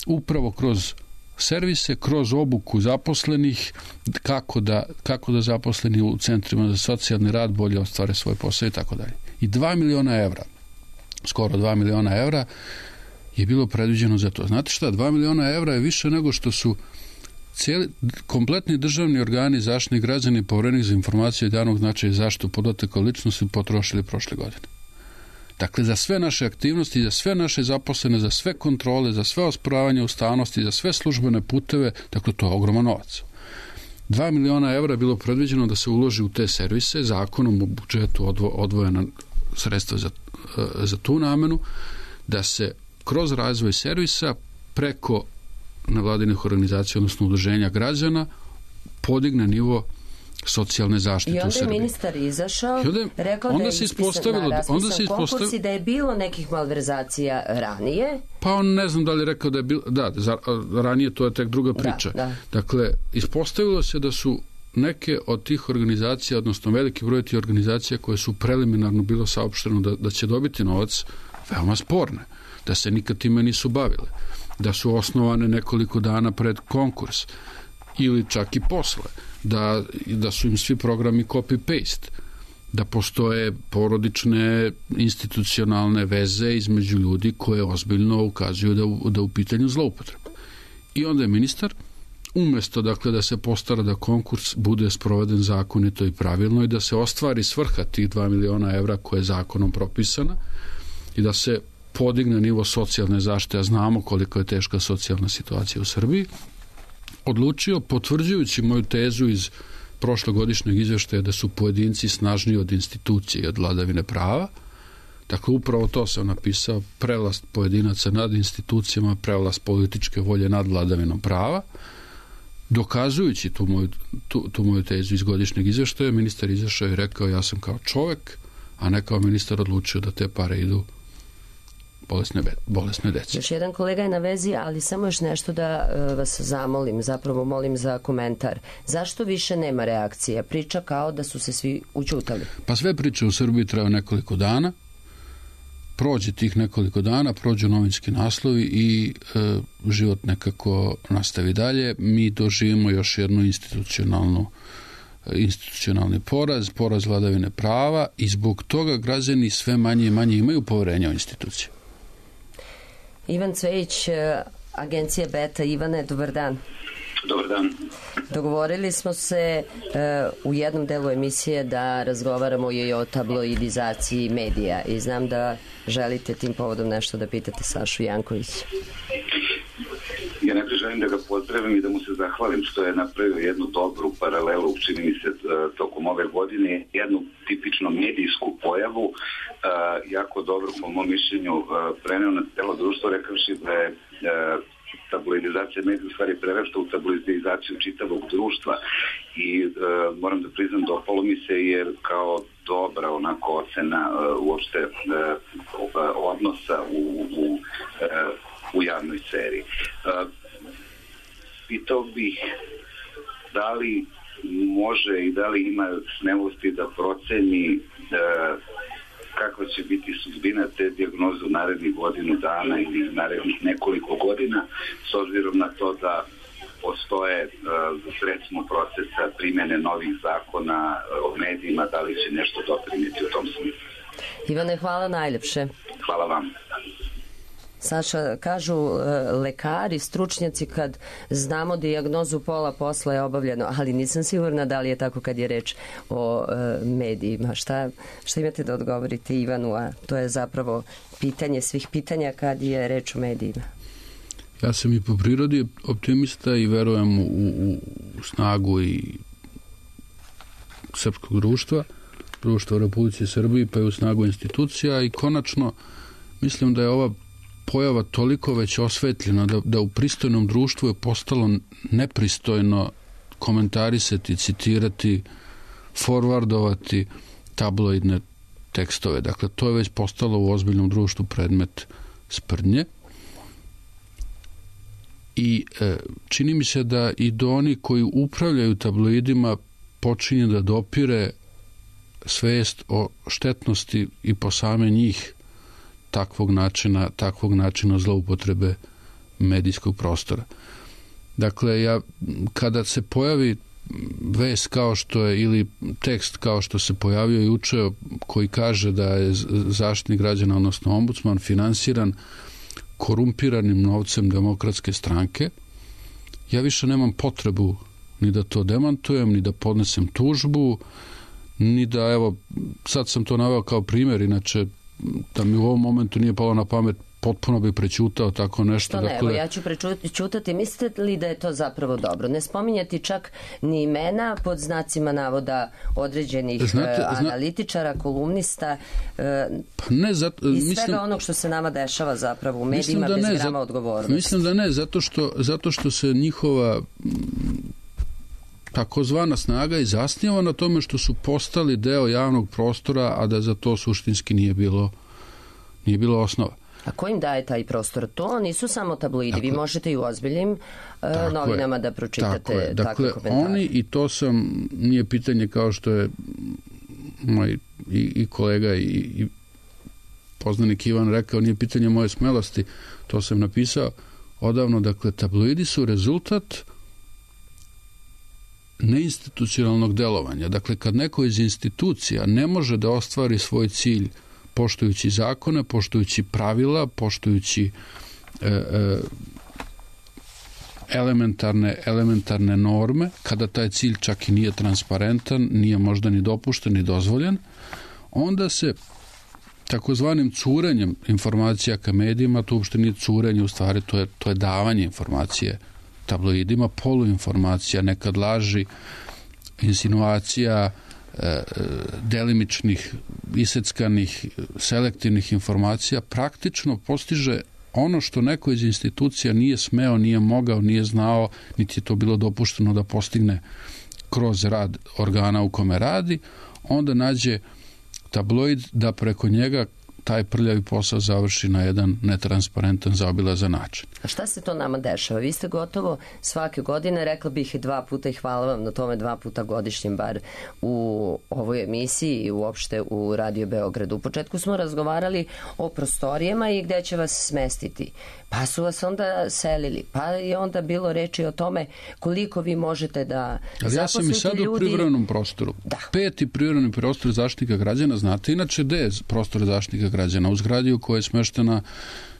Upravo kroz servise, kroz obuku zaposlenih, kako da zaposleni u centrima za socijalni rad bolje ostvare svoj posao i tako dalje. I 2 miliona evra, skoro 2 miliona evra je bilo predviđeno za to. Znate šta, 2 miliona evra je više nego što su kompletni državni organi zaštitnih građana i Poverenik za informacije od javnog značaja i zaštitu podataka o ličnosti potrošili prošle godine. Dakle, za sve naše aktivnosti, za sve naše zaposlene, za sve kontrole, za sve osporavanje ustavnosti, za sve službene puteve, dakle, to je ogroman novac. 2 miliona evra je bilo predviđeno da se uloži u te servise, zakonom u budžetu odvojena sredstva za tu namenu, da se kroz razvoj servisa preko nevladinih organizacija, odnosno udruženja građana, podigne nivo socijalne zaštite u Srbiji. I onda je ministar izašao, rekao da je raspisan konkurs i da je bilo nekih malverzacija ranije. Pa on ne znam da li je rekao da je bilo, ranije to je tek druga priča. Da. Dakle, ispostavilo se da su neke od tih organizacija, odnosno veliki broj tih organizacija koje su preliminarno bilo saopšteno da će dobiti novac, veoma sporne, da se nikad time nisu bavile, da su osnovane nekoliko dana pred konkurs ili čak i posle, da su im svi programi copy-paste, da postoje porodične institucionalne veze između ljudi koje ozbiljno ukazuju da u pitanju zloupotreba. I onda je ministar, umesto dakle da se postara da konkurs bude sproveden zakonito i pravilno i da se ostvari svrha tih 2 miliona evra koje je zakonom propisana i da se podigne nivo socijalne zaštite, a znamo koliko je teška socijalna situacija u Srbiji, odlučio, potvrđujući moju tezu iz prošlogodišnjeg izveštaja da su pojedinci snažniji od institucije i od vladavine prava, Dakle, upravo to sam napisao, prevlast pojedinaca nad institucijama, prevlast političke volje nad vladavinom prava. Dokazujući tu moju tezu iz godišnjeg izveštaja, ministar izašao i rekao ja sam kao čovek, a ne kao ministar odlučio da te pare idu bolesne dece. Još jedan kolega je na vezi, ali samo još nešto da vas zamolim, zapravo molim za komentar. Zašto više nema reakcija? Priča kao da su se svi ućutali. Pa sve priče u Srbiji traju nekoliko dana, prođe tih nekoliko dana, prođu novinski naslovi i život nekako nastavi dalje. Mi doživimo još jednu institucionalni poraz vladavine prava i zbog toga građani sve manje i manje imaju poverenja u institucije. Ivan Cvejić, agencija Beta. Ivane, dobar dan. Dobar dan. Dogovorili smo se u jednom delu emisije da razgovaramo i o tabloidizaciji medija i znam da želite tim povodom nešto da pitate Sašu Jankovića. Ja najprije želim da ga pozdravim i da mu se zahvalim što je napravio jednu dobru paralelu, čini mi se, tokom ove godine, jednu tipično medijsku pojavu, jako dobro, po mom mišljenju, preneo na celo društvo, rekavši da je tabloidizacija medija u stvari prerasta u tabloidizaciju čitavog društva i moram da priznam, dopalo mi se jer kao dobra onako ocena uopšte odnosa u javnoj seriji. Pitao bih da li može i da li ima smelosti da proceni kakva će biti sudbina te dijagnoze u narednih godinu dana ili narednih nekoliko godina, s obzirom na to da postoje recimo procesa primjene novih zakona o medijima, da li će nešto doprinijeti u tom smislu. Ivane, hvala najljepše. Hvala vam. Saša, kažu lekari, stručnjaci, kad znamo dijagnozu pola posla je obavljeno, ali nisam sigurna da li je tako kad je reč o medijima. Šta imate da odgovorite Ivanu, a to je zapravo pitanje svih pitanja kad je reč o medijima? Ja sam i po prirodi optimista i verujem u snagu i srpskog društva u Republici Srbiji, pa i u snagu institucija i konačno mislim da je ova pojava toliko već osvetljena da u pristojnom društvu je postalo nepristojno komentarisati, citirati, forwardovati tabloidne tekstove. Dakle, to je već postalo u ozbiljnom društvu predmet sprdnje. I čini mi se da i do oni koji upravljaju tabloidima počinje da dopire svest o štetnosti i po same njih takvog načina zloupotrebe medijskog prostora. Dakle, kada se pojavi vest kao što je ili tekst kao što se pojavio juče koji kaže da je Zaštitnik građana, odnosno ombudsman, finansiran korumpiranim novcem Demokratske stranke, ja više nemam potrebu ni da to demantujem, ni da podnesem tužbu, ni da, evo, sad sam to naveo kao primjer, inače da mi u ovom momentu nije palo na pamet, potpuno bi prećutao tako nešto. To ne, evo, ja ću prećutati. Mislite li da je to zapravo dobro? Ne spominjati čak ni imena pod znacima navoda određenih analitičara, kolumnista i svega onog što se nama dešava zapravo u medijima bez grama odgovornosti. Mislim da ne, zato što se njihova takozvana snaga i zasniva na tome što su postali deo javnog prostora, a da za to suštinski nije bilo osnova. A ko im daje taj prostor? To nisu samo tabloidi. Vi možete i u ozbiljnim novinama da pročitate takve komentare. Oni, i to nije pitanje kao što je moj i kolega i poznanik Ivan rekao, nije pitanje moje smelosti, to sam napisao odavno. Dakle, tabloidi su rezultat neinstitucionalnog delovanja. Dakle, kad neko iz institucija ne može da ostvari svoj cilj poštujući zakone, poštujući pravila, poštujući elementarne norme, kada taj cilj čak i nije transparentan, nije možda ni dopušten, ni dozvoljen, onda se takozvanim curenjem informacija ka medijima, to uopšte nije curenje, u stvari to je davanje informacije tabloidima, poluinformacija, nekad laži, insinuacija, delimičnih, iseckanih, selektivnih informacija, praktično postiže ono što neko iz institucija nije smeo, nije mogao, nije znao, niti je to bilo dopušteno da postigne kroz rad organa u kome radi, onda nađe tabloid da preko njega taj prljavi posao završi na jedan netransparentan, zaobilazan način. A šta se to nama dešava? Vi ste gotovo svake godine, rekla bih 2 puta i hvala vam na tome 2 puta godišnjem bar u ovoj emisiji i uopšte u Radio Beogradu. U početku smo razgovarali o prostorijama i gde će vas smestiti. Pa su vas onda selili. Pa je onda bilo reči o tome koliko vi možete da zaposlite ljudi. Ali ja sam i sad u privremenom prostoru. Da. 5. privremeni prostor Zaštitnika građana, znate inače gde je prostor Zaštitnika građana? U zgradi u kojoj je smeštena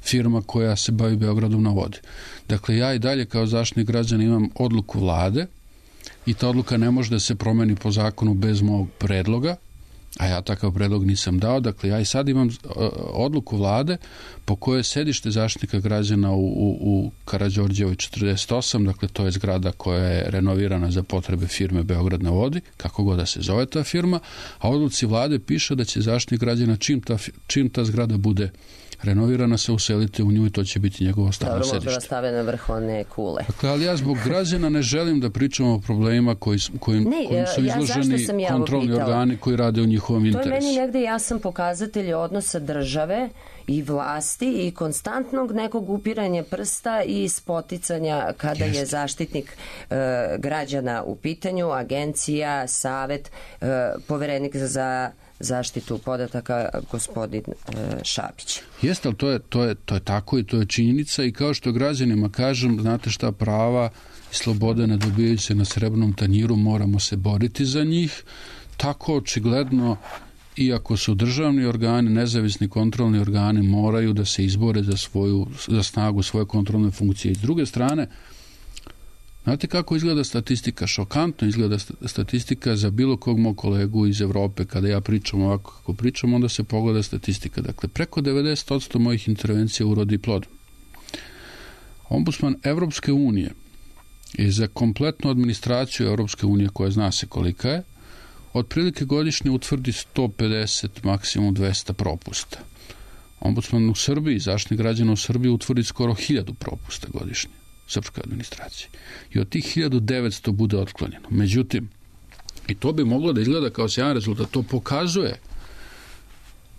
firma koja se bavi Beogradom na vodi. Dakle, ja i dalje kao zaštitnik građana imam odluku vlade i ta odluka ne može da se promeni po zakonu bez mog predloga, a ja takav predlog nisam dao. Dakle, ja i sad imam odluku vlade po kojoj je sedište Zaštitnika građana u Karađorđevoj 48, dakle to je zgrada koja je renovirana za potrebe firme Beograd na vodi, kako god da se zove ta firma, a odluci vlade piše da će Zaštitnik građana čim ta zgrada bude renovirana se uselite u nju i to će biti njegovo stalno sedište. Dobro, možda stave na vrh one kule. Dakle, ali ja zbog građana ne želim da pričamo o problemima kojim su izloženi kontrolni organi koji rade u njihovom interesu. To je meni negde jasan pokazatelj odnosa države i vlasti i konstantnog nekog upiranja prsta i spoticanja kada je zaštitnik građana u pitanju, agencija, savet, poverenik za zaštitu podataka gospodin Šapić. Jeste, ali to je tako i to je činjenica i kao što građanima kažem, znate šta, prava i slobode ne dobijaju se na srebrnom tanjiru, moramo se boriti za njih. Tako očigledno, iako su državni organi, nezavisni kontrolni organi, moraju da se izbore za snagu svoje kontrolne funkcije. I s druge strane, znate kako izgleda statistika? Šokantno izgleda statistika za bilo kog mog kolegu iz Evrope. Kada ja pričam ovako kako pričam, onda se pogleda statistika. Dakle, preko 90% mojih intervencija urodi plodom. Ombudsman Evropske unije je za kompletnu administraciju Evropske unije, koja zna se kolika je, otprilike godišnje utvrdi 150, maksimum 200 propusta. Ombudsman u Srbiji, zaštitnik građana u Srbiji, utvrdi skoro 1000 propusta godišnje. Srpskoj administraciji. I od tih 1900 bude otklonjeno. Međutim, i to bi moglo da izgleda kao sjajan rezultat, to pokazuje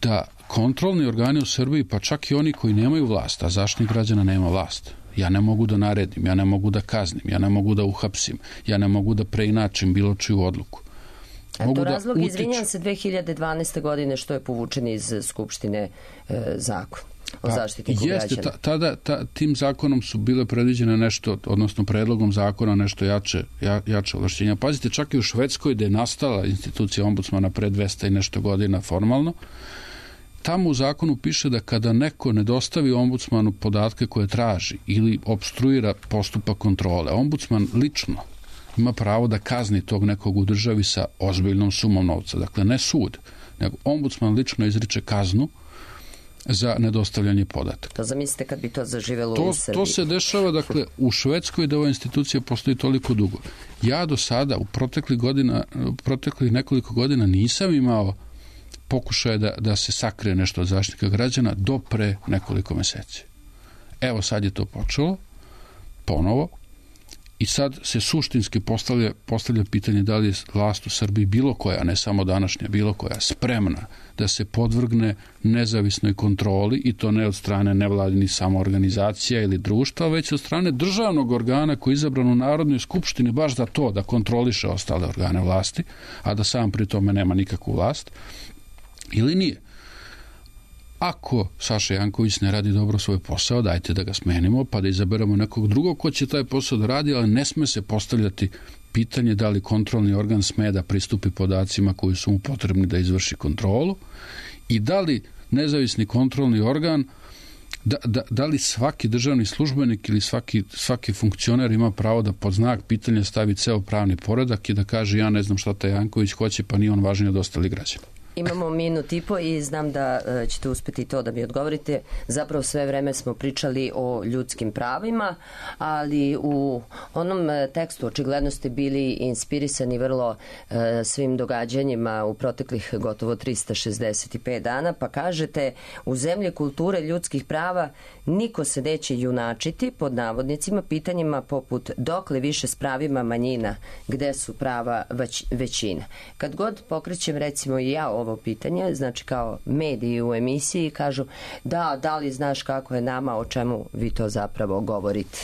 da kontrolni organi u Srbiji, pa čak i oni koji nemaju vlast, a zaštitnik građana nema vlast. Ja ne mogu da naredim, ja ne mogu da kaznim, ja ne mogu da uhapsim, ja ne mogu da preinačim bilo čiju odluku. A to razlog, izvinjam se, 2012. godine što je povučen iz Skupštine zakon o zaštitniku građana. Tada tim zakonom su bile predviđene nešto, odnosno predlogom zakona nešto jače ovlašćenja. Pazite, čak i u Švedskoj, gde je nastala institucija ombudsmana pre 200 i nešto godina formalno, tamo u zakonu piše da kada neko ne dostavi ombudsmanu podatke koje traži ili obstruira postupak kontrole, ombudsman lično ima pravo da kazni tog nekog u državi sa ozbiljnom sumom novca. Dakle, ne sud, nego ombudsman lično izriče kaznu za nedostavljanje podataka. To zamislite kad bi to zaživelo u Srbiji. To se dešava, dakle, u Švedskoj da ova institucija postoji toliko dugo. Ja do sada, u proteklih nekoliko godina nisam imao pokušaje da se sakrije nešto od zaštitnika građana do pre nekoliko meseci. Evo sad je to počelo, ponovo, i sad se suštinski postavlja pitanje da li je vlast u Srbiji bilo koja, ne samo današnja, bilo koja, spremna da se podvrgne nezavisnoj kontroli, i to ne od strane nevladinih samoorganizacija ili društva, već od strane državnog organa koji je izabran u Narodnoj skupštini baš za to da kontroliše ostale organe vlasti, a da sam pri tome nema nikakvu vlast, ili nije. Ako Saša Janković ne radi dobro svoj posao, dajte da ga smenimo pa da izaberemo nekog drugog ko će taj posao da radi, ali ne sme se postavljati pitanje da li kontrolni organ sme da pristupi podacima koji su mu potrebni da izvrši kontrolu i da li nezavisni kontrolni organ, da li svaki državni službenik ili svaki funkcioner ima pravo da pod znak pitanja stavi ceo pravni poredak i da kaže ja ne znam šta taj Janković hoće, pa nije on važniji od ostalih građana. Imamo minut i po i znam da ćete uspeti to da mi odgovorite. Zapravo sve vreme smo pričali o ljudskim pravima, ali u onom tekstu očigledno ste bili inspirisani vrlo svim događanjima u proteklih gotovo 365 dana, pa kažete u zemlji kulture ljudskih prava niko se neće junačiti pod navodnicima pitanjima poput dokle više s pravima manjina, gde su prava većina. Kad god pokrećem recimo i ja ovo pitanje, znači kao mediji u emisiji kažu da li znaš kako je nama, o čemu vi to zapravo govorite?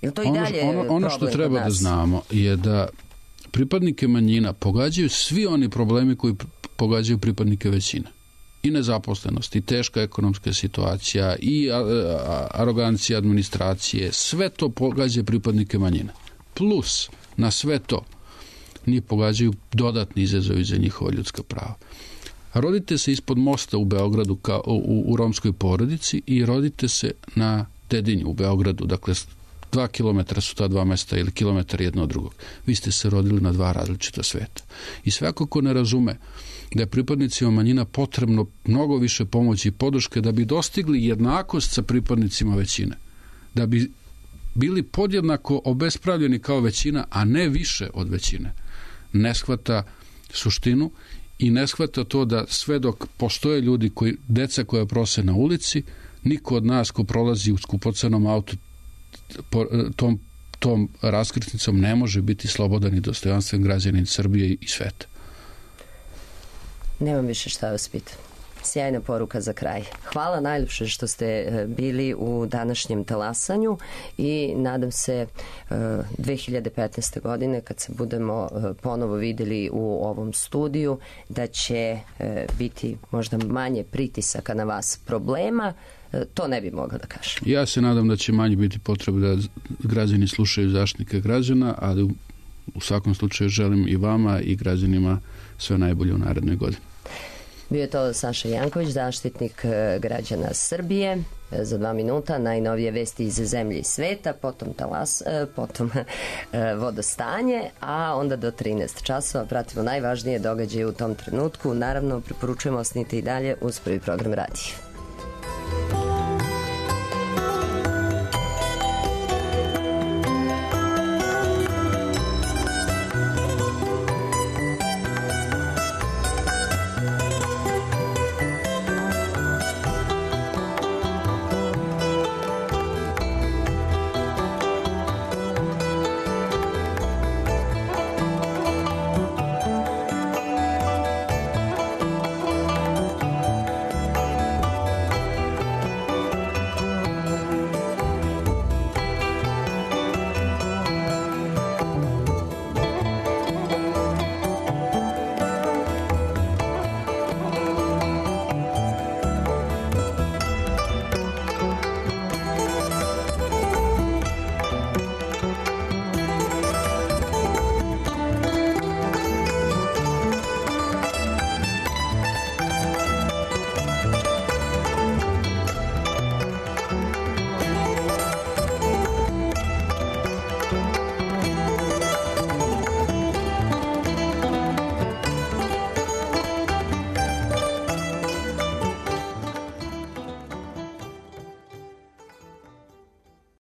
Je to i dalje ono što treba da znamo je da pripadnike manjina pogađaju svi oni problemi koji pogađaju pripadnike većine. I nezaposlenost, i teška ekonomska situacija, i arogancija administracije, sve to pogađa pripadnike manjina. Plus, na sve to, njih pogađaju dodatni izazovi za njihova ljudska prava. Rodite se ispod mosta u Beogradu u romskoj porodici i rodite se na Dedinju u Beogradu, dakle 2 kilometra su ta dva mesta ili kilometar jedno od drugog. Vi ste se rodili na dva različita sveta. I svako ko ne razume da je pripadnicima manjina potrebno mnogo više pomoći i podrške da bi dostigli jednakost sa pripadnicima većine, da bi bili podjednako obespravljeni kao većina, a ne više od većine, ne shvata suštinu i ne shvata to da sve dok postoje ljudi, deca koja prose na ulici, niko od nas ko prolazi u skupocenom autu tom raskrsnicom ne može biti slobodan i dostojanstven građanin Srbije i sveta. Nemam više šta vas pitam. Sjajna poruka za kraj. Hvala najljepše što ste bili u današnjem talasanju i nadam se 2015. godine kad se budemo ponovo videli u ovom studiju da će biti možda manje pritisaka na vas, problema. To ne bi mogla da kažem. Ja se nadam da će manje biti potrebe da građani slušaju Zaštitnika građana, ali u svakom slučaju želim i vama i građanima sve najbolje u narednoj godini. Bio je to Saša Janković, Zaštitnik građana Srbije. Za 2 minuta najnovije vesti iz zemlje i sveta, potom vodostanje, a onda do 13 časova pratimo najvažnije događaje u tom trenutku. Naravno, preporučujemo osnite i dalje uz Prvi program radija.